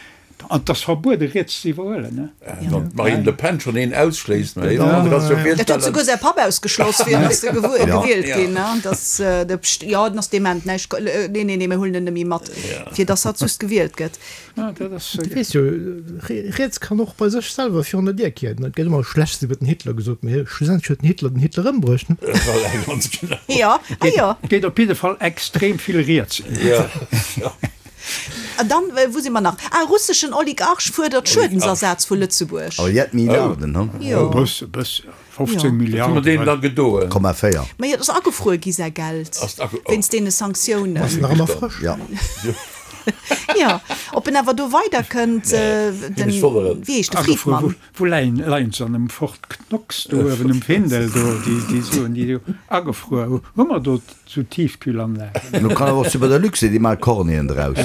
An dat ass verbuede, riets ze iwwerhuelen, ne? Ja, wann d'Marine Le Pen schonn een ausschléisst, ne? Ja, du kannst jo Dat huet virstellen. souguer säi Papp ausgeschloss, fir dass se gewu-, Ja. gewielt Ja. ginn, ne? Dass, äh, de Pst-, ja, den ass dement, ne? Ech, äh, nee, nee, nee, mir huelen en net méi mat, fir dass hatt just gewielt gëtt. Ja, dat ass, Du weess jo, re-, riets kann och bei sech selwer virun der Dier kieren. Et gëtt ëmmer Schlechtes iwwer den Hitler gesot, mee schlussendlech huet den Hitler den Hitler ëmbruecht, ne? Voilà, ganz genau. Ja, ah, ja. Geet op jidde Fall extrem vill riets. Ja. Ja. An dann, äh, wou si mer nach? Ah, russeschen Oligarch fuerdert Schuedensersatz vu Lëtzebuerg. Awer jett Milliarden, hm? Jo. E bësse, e bësse, fofzéng Ja. Wat hu mer Milliarden. deenen dann gedoen? Komma véier. Ma jo, dat ass agefruer gi säi Geld. Ass age-, oh. Wéinst deene Sanktiounen. Ass nach ëmmer frësch. Ja. Ja, ob en awer do weiderkënnt, äh, den, Ech wonneren. wéi heescht de Agefruer, Friedmann? wou, wou leien, leien se an dem Fort Knox do uewen um Findel do, déi, déi Suen, déi do agefruer hu. Hu mer do sou Tiefkühlanlagen? Nu kann awer och bei der Luxe, déi maache Cornien draus.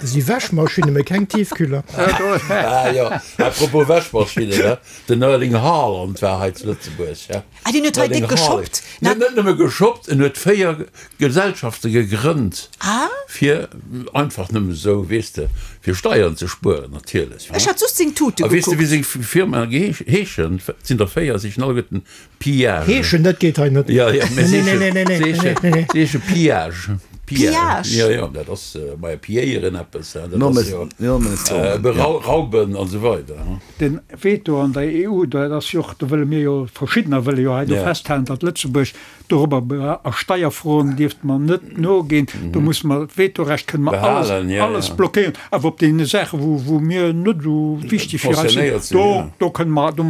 Si Wäschmaschinne, mee keng Tiefkühler. Ah jo, à propos Wäschmaschinne, ne, den Erling Haaland war hei zu Lëtzebuerg, ja. Ah, deen huet hei déck Erling Haaland. geshoppt. En huet net nëmme geshoppt, en huet véier Gesellschafte gegrënnt, Ah. fir einfach nëmme esou, weess de, fir Steieren ze spueren natierlech. Ech hat just seng Tute A weess de, gekuckt. wéi seng Firmae heeschen? Et sinn der véier, se heeschen alleguerten Pillage. Heeschen, dat geet hei net. Ja, ja, mä se Nee, nee, nee, nee, heeschen, nee, nee, nee. se heesche Pillage. Pillage? Ja, ja, dat ass bei pilléieren eppes, dat No, ass jo no, no, berauben an esou weider. Den Veto an der E U, dat ass jo och, do wëlle mir jo, verschiddener wëlle jo hei do Ja. festhalen, datt Lëtzebuerg dorobber a Steierfroen dierft mer net noginn, do muss mer d'Vetorecht kënne mer alles, Behalen, ja, alles ja. blockéieren, awer op deene Saache wou, wou mir net esou wichteg fir eis sinn, Concernéiert sinn, do, ja. do kënne mer, do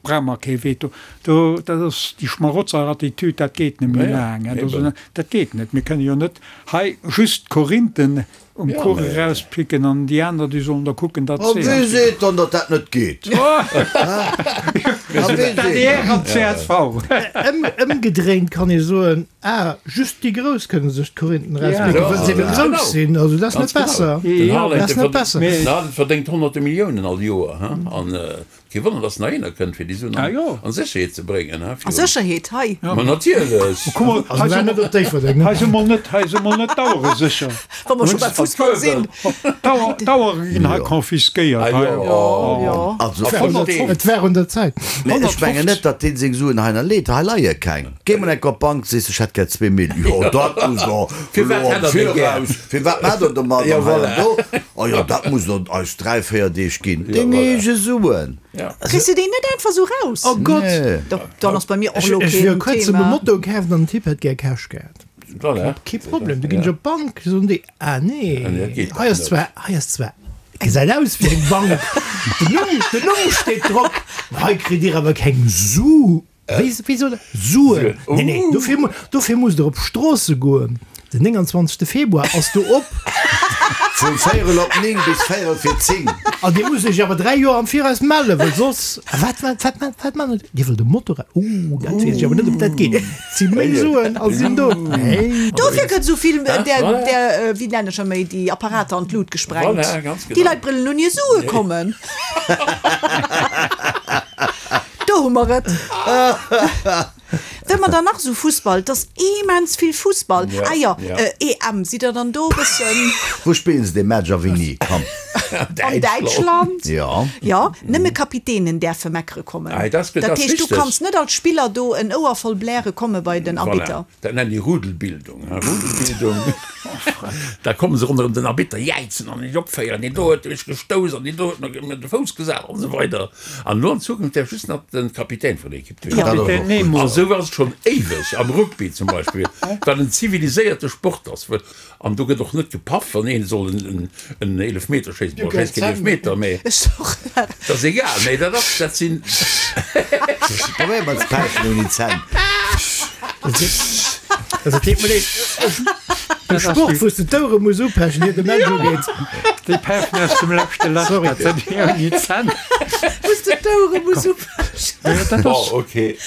brauche mer kee Veto. Do, dat ass déi Schmarotzerattitüd, dat geet net méi Ja, ja, laang, hè. eben. Dat, dat geet net. Mir kënne jo net hei just d'Korinthen um Ja, Kuch mä- erauspicken an déi aner, déi sollen da kucken, datt A se. wie seet dann, datt dat net geet? A wie seet D'A D R an d'C S V. Ëm, ëmgedréint kann ee soen, ah, just déi Grouss kënne sech d'Korinthen erauspicken, Ja, well se eben ja, grouss genau. sinn. Also dat ass Ganz net genau. besser. Den Ja, Haaland, dat ass de net besser. Den Haaland verdéngt honnerte Milliounen all Joer, hä? An kee Wonner, dass nach eener kënnt, fir déi Suen Ah, an, jo. an Sécherheet ze bréngen, hä? A Virun. Sécherheet, hei. Ma natierlech. Kuck mol, Also hei war si net mol, op Déifferdeng, ne? hei si mol net, hei si mol net d'Auere sécher. Wa mer scho beim Fussball sinn. D'Auer, d'Auere ginn hei konfiskéiert. Ah, Hei. jo. Jo, jo. Also, A honnert- Et war un der Zäit. Mee ech mengen net, datt deen seng Suen hei leet. Hei leie keng. Géi mol enk op d'Bank, sees, ech hätt gär zwee Mille. Jo, dat muss der Firwat elo am hätt der déi gär? Viraus. Firwat maacht der domat Ja, an hei voilà. an do? Oh jo, dat muss der eis dräi, véier Deeg ginn. Deng voilà. eege Suen. Ja. Kriss du déi net einfach sou raus? Oh Gott! Nee. Da, dann ass bei mir och Ech, elo ech wier keen kuerz um Thema. Moto kaaft an den Typ hätt gär Cash gehat. Voilà. Kee Problem, du ginn ech op d'Bank, soen déi, ah nee, Ah, nee, dat geet hei ass net. zwar, hei ass zwar, gesäit aus wéi eng Bank, den Numm, den Numm steet drop, hei kritt Dir awer keng Su, wéi, wéi soll dat, Suen. Nee, nee, dofir, mu- dofir musst Der op Stroosse goen. Den nénganzwanzegste Februar ass do op. Vun véierel op néng bis véierel vir zéng. An Dir musst Iech awer dräi Joer am Viraus mellen, well soss, a wat, wat, wat, wat, wat man? Dir wëllt e Motorrad? Oh, dat weess ech awer net, ob dat geet. Et si meng Suen a sinn do. Hey. Dofir gëtt esou vill Ja, där, voilà. där, wéi nennen ech erméi, déi Apparater an d'Lut gesprengt. Voilà, ganz Déi genau. Leit brëllen un hir Sue kommen. Do hu mer et. Wenn man dann nach so Fußball, das immens viel Fußball. Ja, ah ja, ja. Äh, E M, sieht er dann do bëssen Wou spillen se de Match a wéini? Komm. an Däitschland? Ja. Ja, nëmme Kapitänen däerfe meckere kommen. Ah, das, Dat das heescht, du richtig. kanns net als Spiller do en Ouer voll bläre komme bei den Voilà. Arbitter. Dat nennen déi Rudelbildung. Hein? Rudelbildung. Da kommen se ronderëm den Arbitter, jäizen an den opféieren, deen do huet mech gestouss an deen do huet mir de Fouss gesat an esou weider. An elo an Zukunft däerf just nach den Kapitän vun der Ekipp Ja. Kapitän Nemo. A sou war et schonn éiweg am Rugby zum Beispill, wat en ziviliséierte Sport ass. Well, an do gëtt och net gepaff, wann een soll en, en, en Eelefmeter schéissen. Bon, schéisst keen Eelefmeter, mee Ech och. dat ass egal. Nee, dat ass, dat sinn. Probéier mol ze päifen ouni Zänn. Also, deet mir leed. De Sport, wou s de d'Ouere muss upechen, ier de Match ugeet. Déi päifen aus dem leschte Lach, Sorry. dat sinn déi ouni Zänn. Wou s de d'Ouere muss upechen. Ja, dat Bon, ass, okay.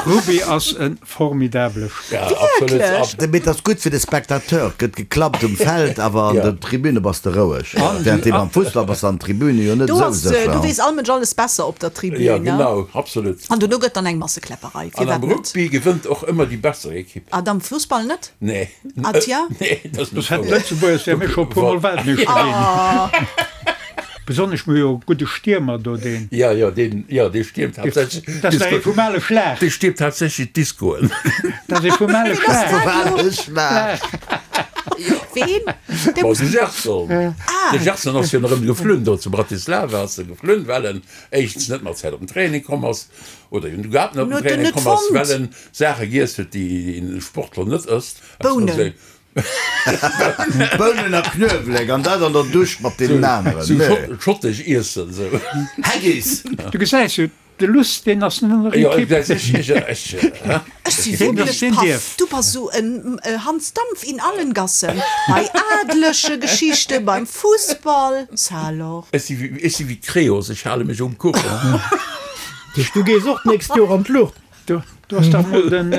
Rugby ass e formidabele Sport. Ja, absolut. Wierklech? Mee et ass gutt fir de Spectateur, gëtt geklappt um Feld, awer an Ja. der Tribüne bass de roueg. Während deem am Fussball bass de an der Tribüne jo net Do esou ass, äh, sécher. du weess all Mënsch alles besser op der Tribün, Ja, ne? genau, absolut. An dono gëtt dann eng Massekläpperei. An Firwat am net? Rugby gewënnt och ëmmer déi besser Ekipp. Ah, am Fussball net? Nee. Ah, tja. Nee, dat ass net Das hätt wouer. Lëtzebuerg ja mir scho puer Mol Weltmeeschter ginn. Besonnesch mir jo gudde Stiermer do deen. Ja, ja, deen, ja, dee stiermt haaptsächlech. Dat ass ee vum ale Schlag. Dee stiermt haaptsächlech d'Discoen. Dat ass ee vum ale Schlag. Vum ale Schlag. Ween? De Bon, de Gerson. Ah. De Gerson ass jo nach ëmmer geflunn do zu Bratislava, ass e geflunn, well en éischtens net mat Zäit op den Training komm ass, oder en überhaupt net op den Huet en Training net komm ass, fonnt? well en Saache giess huet, déi en Sportler net ësst. Bounen. Bounen a Knuewelek, an dat an der Dusch mat deenen aneren. Sou Nee. schott, schottesch Iessen, sou. Haggis! Du gesäis jo, de Luss, deen ass net an der Ja, Ekipp. ech, ech, ech, hä? Ech si Deen wierklech deen paff. dierf. Du bass sou en Hans Dampf in allen Gassen. Bei adleche Geschichte, beim Fussball. Ça alors. Ech si wéi, ech si wéi Creos, ech hale mech um Kuchen. Du gees och d'nächst Joer an d'Luucht. Du, Du ass dach mol den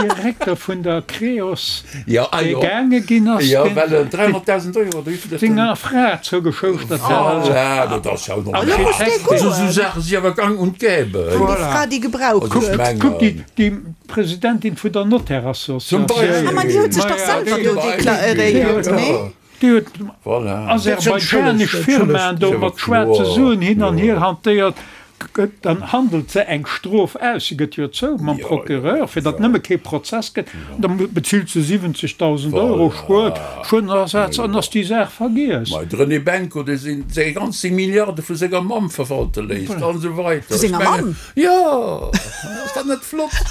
Direkter vun der Creos, Ja, ah dee jo. gaange ginn ass, Ja, deen well en dräihonnertdausend Euro oder wéivill dat senger Fra zougeschouschtert hat. Voilà, dat ass jo Elo muss dee normal. Esou goen. Saache si awer gang und gäbe. Déi Voilà. Fra, déi gebraucht Also ech huet. Kuck, déi, mengen. déi Presidentin vun der Zum Notaire-Associatioun. Ah, ma déi huet Beispill. sech dach Maja, selwer déi, do Zum deklaréiert, Beispill, nee? ja. déi huet Voilà. aserbaidschanesch Firmaen do mat schwaarze Suen hin an hier hantéiert. Gëtt, dann handelt se eng Strof aus, se gëtt jo zou mam Procureur, fir datt nëmme kee Prozess gëtt, an da bezilt se siwwenzegdausend Euro Schued, Schuedenersatz, an ass déi Saach vergiess. Mä de René Benko, dee seng seng ganz seng Milliarde vu senger Mamm verwalte léisst, an esou weider. Vu senger Ech mengen, Mamm? Jo, ass dat net flott?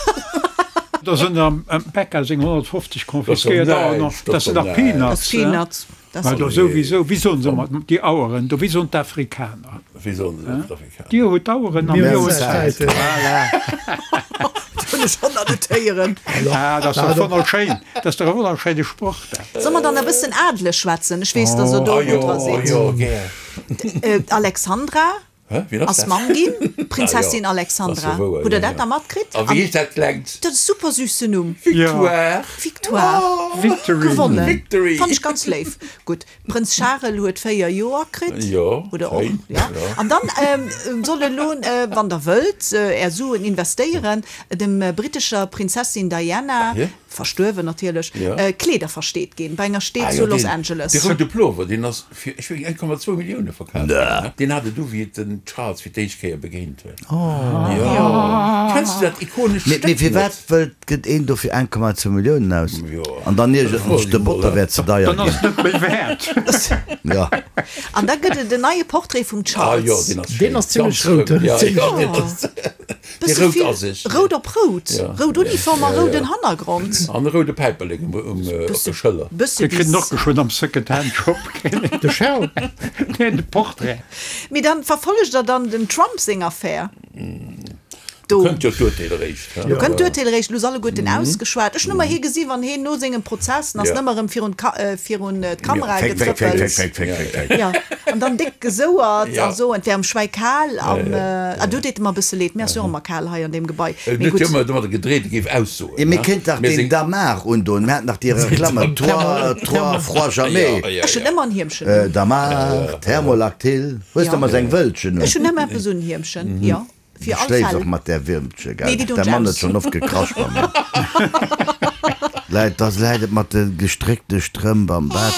Da sinn am Becca seng honnertfofzeg Dat ass doch konfiskéiert, näischt, dat dat ass sinn doch dach näischt. Dat Peanuts. ass Peanuts. Dat Mä do souwisou, wéi soen se ëmmer, déi Aueren do, wéi soen d'Afrikaner? Wéi soen se d'Afrikaner? Dir hutt d'Aueren a Mir mir hunn hunn d'Zäit. d'Zäit. Voilà. Dat hunn ech schonn nach net héieren. Ah, dat ass doch wonnerschéin. Dat ass dach e wonnerschéine Sproch, dat. Soll mer dann e bëssen adeleg schwätzen? Ech weess, dass Der do Ah gutt jo, dra ah sidd. jo, gär. Alexandra Hä, wien ass ass dat? Mamm ginn, Ah jo, Prinzessin ass Alexandra. jo wouer, Hutt Der jo, dat jo. da matkritt? A wéi heescht dat klengt? Dat ass super süssen Numm. Victoire. Victoire. Victory. Gewonnen. Victory. Fand ech ganz léif. Gutt, Prënz Charel huet véier Joer kritt. Jo, Oder och, schéin. ja. Jo. An dann ähm, soll elo, äh, wann Der wëllt, äh, Är Suen investéieren, dem äh, brittescher Prinzessin Diana, Ach, ja? verstuerwen natierlech, Ja. äh, Kleeder versteet ginn bei enger Steet Ah, zu jo, Los deen, Angeles. dee roude Plover, deen ass fir, ech wéi, eng Komma zwou Millioune verkaaft ginn. Deen hat et du, wéi et den Charles fir d'éischt Kéier begéint huet. Oh. Jo. Kenns du dat ikonescht Mee, mee Stéck firwat net? wëllt, gëtt een dofir eng Komma zwou Milliounen aus? Jo. An dann Dat iergert froe sech, si de mol, Botter hä? wär ze deier Dann ass ginn. et net méi wäert. Ja. An da gëtt et en neie Portrait vum Ah Charles. jo, deen ass Deen schéin. ass zimmlech Ganz rout, rout. hä? Ja, Zimmlech jo, deen rout. ass, dee Bësse rout vill ass ech. Rout op rout. Ja. Rout Uniform a Ja, ja. rouden Hannergrond. An e roude Päiperlek um, um, äh, op der Schëller. Bësse Dee kritt en bis. och geschwënn am Second-Hand-Shop. De Charles. Neen, de Portrait. Mee dann verfollegt der dann dem Trump seng Affär? Do Kënnt jo d'Urteel eréischt. Do kënnt d'Urteel eréischt, lo ass alleguerten ausgeschwat. Ech hunn ëmmer hie gesi wann hien no sengem Prozess ass Ja. nëmmer erëm virun d'Ka virun d'Kamera Fake, fake, fake, getrëppelt. fake, fake, fake, fake. Ja, an dann déck gesouert Ja. a sou, et wär em schwäi kal an ah do deet et mer e bësse leed, mir ass jo och ëmmer kal hei an deem Gebai. Et Mee huet jo gutt. ëmmer domadder gedreet, e géif aussoen, Ja, mir ne? kéint dach Mir deen seng. Damar undoen, mir haten nach déi Reklamme, Trois, trois froid jamais. Ja, ja, Ech hunn ja. ëmmer en Hiemchen un. Damar, Thermolactyl, hues Ja. de emmer seng Wëltchen un? Ech hunn ëmmer eppes un, Hiemchen, jo. Fir Du all schléifs Fäll. och mat där Wiermche, gell? Nee, déi doen Däi ech Mann huet aus. schonn oft gekrasch bei mir. Läit, da läit et mat de gestréckte Strëmp am Bett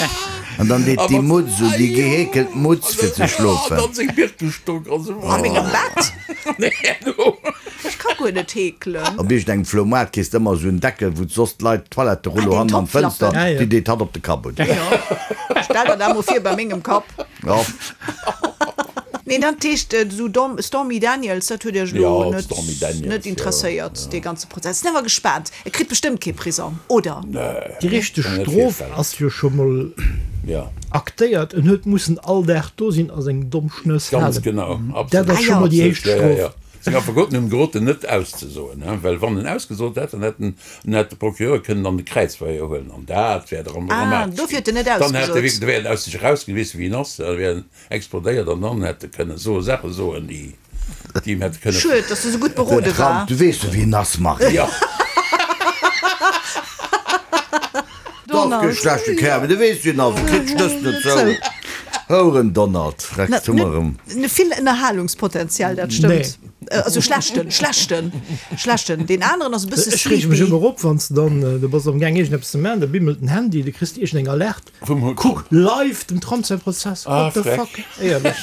an dann deet déi Mutz un, déi geheekelt Mutz fir ze An schlofen. dann seng Birkenstock a sou. A mengem Bett? Nee, no. Ech ka guer net heekelen. Op iergendengem Floumaart kriss de ëmmer esou en Deckel, wou soss d'Leit d'Toiletterullo Ah, deen hannen an d'Fënster, Topflappen. Ja, ja. déi deet hatt op de Kapp un. Jo. Stell der dat mol vir bei mengem Kapp. Ja. Nee, dat heescht, esou Dom, Stormy Daniels, dat huet Iech elo Ja, net, Stormy Daniels, net ja. interesséiert, dee ganze Prozess. Sinn awer gespaant. E kritt bestëmmt kee Prisong, oder? Nee. Déi richteg Kann mir net Strof virstellen. ass jo scho mol Ja. aktéiert. En huet mussen all Dag do sinn a seng domm Schnëss Ganz halen. genau, Dat absolut. ass Ah scho ja. mol déi Absolut, éischt ja, ja, Strof. ja. Seng Affekoten hunn geroden, net auszesoen, he, well wann en ausgesot hätt, dann hätt en, dann hätt de Procureur kënnen an de Kräizverhéier huelen an dat wär dram Ah, dramatesch dofir ginn. huet en net Dann hätt e ausgesot. wierklech, da wär en aus sech erausginn, weess wéi en ass, da wär en explodéiert an dann hätt e kënnen soe Saache soen, déi, déi em hätte kënne. Schued, dass du sou gutt Den berode Trump, war. du weess jo wéi en ass, Marie. Ja. Donald. Kee schlechte Kerl, mee du weess wéi en ass, e kritt d'Schnëss net zou. Houeren Donald, freck zu mer erëm. Net vill Ënnerhalungspotenzial, dat stëmmt. Also schlechten, schlechten, schlechten. Deen aneren ass e bësse Ech reege mech sleepy. ëmmer op, wann s de dann, du bass am Gaang iergendeppes ze maachen, da bimmelt den Handy, du kriss iergendeng Alerte. Vum Kuck, live dem Trump säi Prozess. Ah, What the freck. fuck? Éierlech.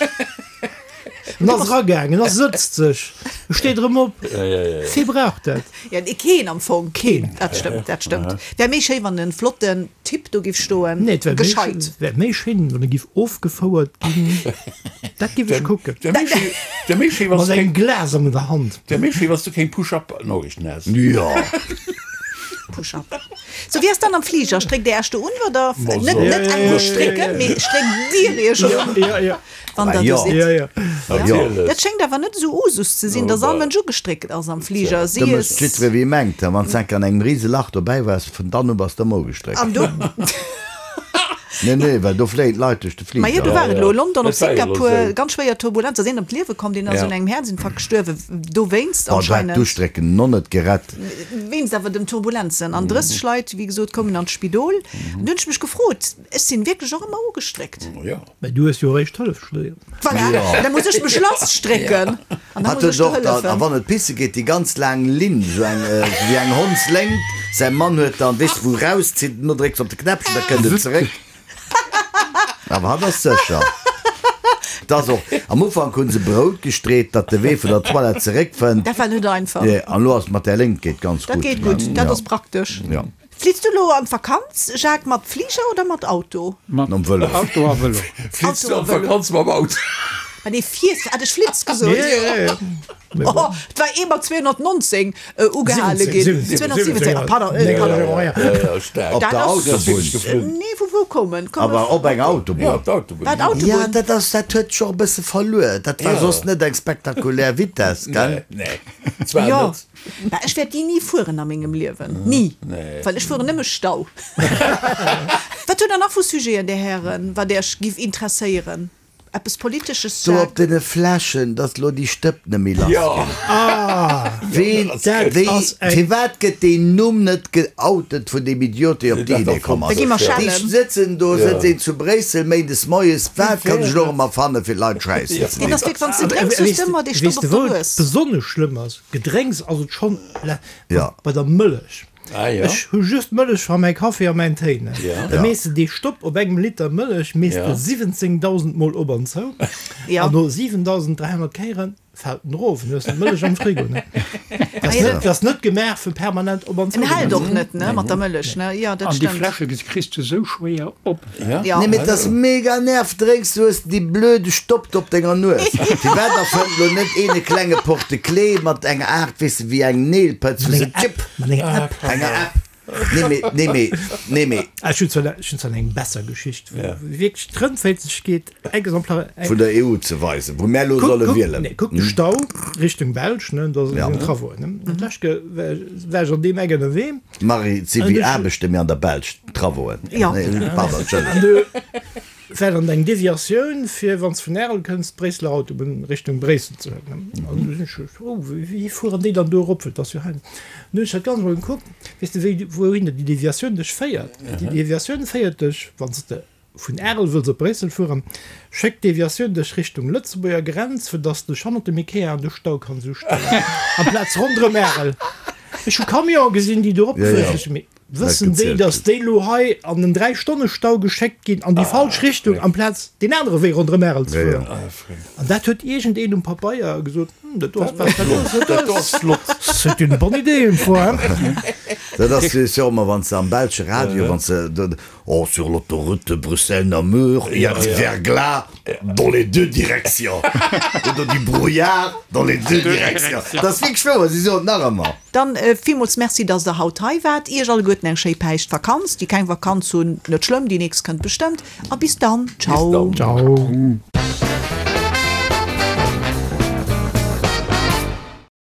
En ass eragaangen, en ass sëtzt sech, e steet erëm op. Ja, ja, ja, ja. Wie brauch dat? Ja, nee, keen am Fong. Keen. Dat stëmmt, dat stëmmt. Wär méi schéi, wann en flotten Typ do giff stoen. Nee, et wär méi Gescheit. schéin, wär méi schéin, wann e giff ofgefouert ginn. Dat giff ech kucken. Wär méi schéi, wär méi schéi, wann Mat s du engem keng, Glas an der Hand. wär méi schéi, wann s du keng Push-up-Noriichten häss. Jo. Push-up. So, wéi ass dann am Fliger? Stréckt Dir Iech do un oder Ma net, so. net Ja, ja, eng ja, strécken, ja, ja. mee stréckt Dir Iech un, Ja, ja. wann der Ja. do sidd? Ja, ja. Natierlech. Dat schéngt awer net esou Usus ze sinn, dass all Mënsch ugestréckt ass am Fliger. Si Da mécht es jiddweree wéi e mengt. Wann s enk an engem rise Lach dobäi waars, vun dann u bass de ëmmer ugestréckt. An do Nee, nee, well do fléien d'Leit duerch de Ma jo, Fliger. do war et elo, London op Dat war jo elo Singapur, esou. ganz schwéier Turbulenz, ass een ëm d'Liewe komm, deen ass Ja. un engem Häerzinfarkt gestuerwen, dowéinst Oh, dat hätt anscheinend. d'Ustrécken no net gerett. Wéinst awer den Turbulenzen. An drësseg Leit, wéi gesot, koumen an d'Spidol. An du hunn ech mech gefrot, ech sinn wierklech och ëmmer ugestréckt. Jo. Mä du hues jo eréischt Hëllef studéiert. Voilà, da muss ech mech lasstrécken an da Hat muss ech huet der och dann, a hëllefen. wann et pisse geet, déi ganz laang Linn, esou eng, wéi eng Hondsléngt. Säi Mann huet dann, weess de, wou rauszitt, no drécks op de Knäppchen, da kënnt et zeréck. Awer hatt ass sécher. Et ass och, am Ufank hu se Brout gestreet, datt de Wee vun der Toilette zeréckfënnt. Dat war net einfach. Nee, an elo ass mat där Léngt geet ganz Dat gutt. geet gutt, dat Ja. ass praktesch. Ja. Fliits du elo an d'Vakanz, Jacques, mat Fliger oder mat Auto? Mat Nom Vëlo. Auto a Vëlo. Fliits du Auto a an Vëlo. d'Vakanz mam Auto? Ah nee, fiers, hat ech Flitz gesot? Ja, ja, ja. Oh, et war ee mat zweehonnertnonzéng ugehale ginn. siwwenzéng, zweehonnertsiwwenzéng, ah, pardon, äh, pardon. Ja, Ja, ja, staark. Op Dat der ass- Autobunn. Nee, vu wou kommen? Komme Awer op eng Autobunn. Ja, op der Autobunn. War d'Autobunn? Ja, dat ass, dat huet scho e bësse verluer. Dat war Ja. soss net eng spektakulär Vitess, gell? Nee, nee. Zwar Jo, net. mä ech wäert déi ni fueren a mengem Liewen. Ni. Nee. Well ech fueren nëmme Stau. Wat hutt Der nach vu Sujeten, Dir Hären, wat Iech giff interesséieren? Eppes Politesches, Do op Jacques? deene Fläschen, dass lo déi Stëpp net méi lass Jo. ginn. Ah, Ween, dat wéi, ass eng. firwat gëtt deen Numm net geoutet vun deem Idiot, dee op déi Idee komm Da ass? gi mer Déi schellen. sëtzen do, sëtzt een zu Bréissel méindes moies, wat kann ech lo erëm erfanne fir d'Leit schäissen ze Deen dinn? ass wierklech, wann s de drénks, hues de ëmmer dee Weess Stopp op de der wou et Nues. besonnesch schlëmm ass? Gedrénks ass et schonn, Ja. bei der Mëllech. Ah, ja. Ech hu just Mëllech fir mäi Kaffi a mäin Téi. Ne? Ja. Da mees de dee Stopp op engem Liter Mëllech mees Ja. de siwwenzéngdausend Mol op an zou. Ja. An no siwentausend dräihonnert Kéiere fält en erof an du hues d'Mëllech am Frigo. Ne? Dat ass Ah, ja. net, dat ass net gemaach fir permanent op an zou En ze hält maachen. och net, ne, mat der Mëllech, ne? Ja, dat An déi stëmmt. Fläsche kriss de sou schwéier op. Ja. Ja. Nee, mee et ass mega nerv, drénks, du hues déi blöde Stopp op denger Nues. Firwat erfënnt lo net een e klenge Porte-clés mat enger Aart, weess de, wéi eng Neelpëtz, wou Mat se enger App. tschip, Mat enger App. enger App. Nee, mee, nee, mee, nee, mee. Ah, ech hunn zwar, ech hunn zwar eng besser Geschicht, wou Ja. wierklech d'Rëndféizegkeet exemplar, Vun der E U ze weisen, wou mär lo Kuck, solle kuck, wielen. nee, kuck de Stau Richtung Belsch, ne, do Ja. sinn Travauxen, ne. Dat lescht Ke war, war ech an deem Eck ënnerwee. Marie, et si An wéi ech- Aarbechte mir an der Belsch, d'Travauxen. Ja. Nee, pardon, Entschëllegung. An du war dann eng Deviatioun fir, wann s vun Ärel kënns, d'Bréisseler Autobunn Richtung Bréissel ze huelen, ne. An du sinn ech, oh, wéi, wéi fueren déi dann do erop, well et ass jo hei. An du hunn ech dat ganz emol gekuckt, weess de, wéi, wouhinner déi Deviatioun dech féiert. Déi Deviatioun féiert dech, wann s de vun Ärel wëlls op Bréissel fueren, schéckt d'Deviatioun dech Richtung Lëtzebuerger Grenz, fir dass de dech hannert dem Ikea an de Stau kanns ustellen, amplaz ronderëm Ärel. Ech hu Camionen gesinn, déi do Ja, eropgefuer ja. sinn. Mee wëssen déi, gezielt dass déi lo hei an den Dräi-Stonne-Stau geschéckt ginn an déi falsch Richtung, amplaz deen anere Wee ronderëm Ärel ze Ja, ja. fueren? An dat huet iergendeen um Pabeier gesot, Hm, dat do ass best, dat do ass, dat Dat do ass ass. flott. C'est une bonne idée, une fois, hein? Dat ass jo ëmmer, wann s de am belsche Radio, wann s de do, oh, sur l'autoroute de Bruxelles-Namur, il y a du verglas dans les deux directions. Oder du brouillard dans les deux directions. Dat ass wierklech wouer, si soen et nach ëmmer. Dann villmools Merci, dass der haut hei waart. Iech alleguerten eng schéi Päischtvakanz. Déi keng Vakanz hunn, net schlëmm, déi nächst kënnt bestëmmt. A bis dann, Bis ciao. dann. Ciao.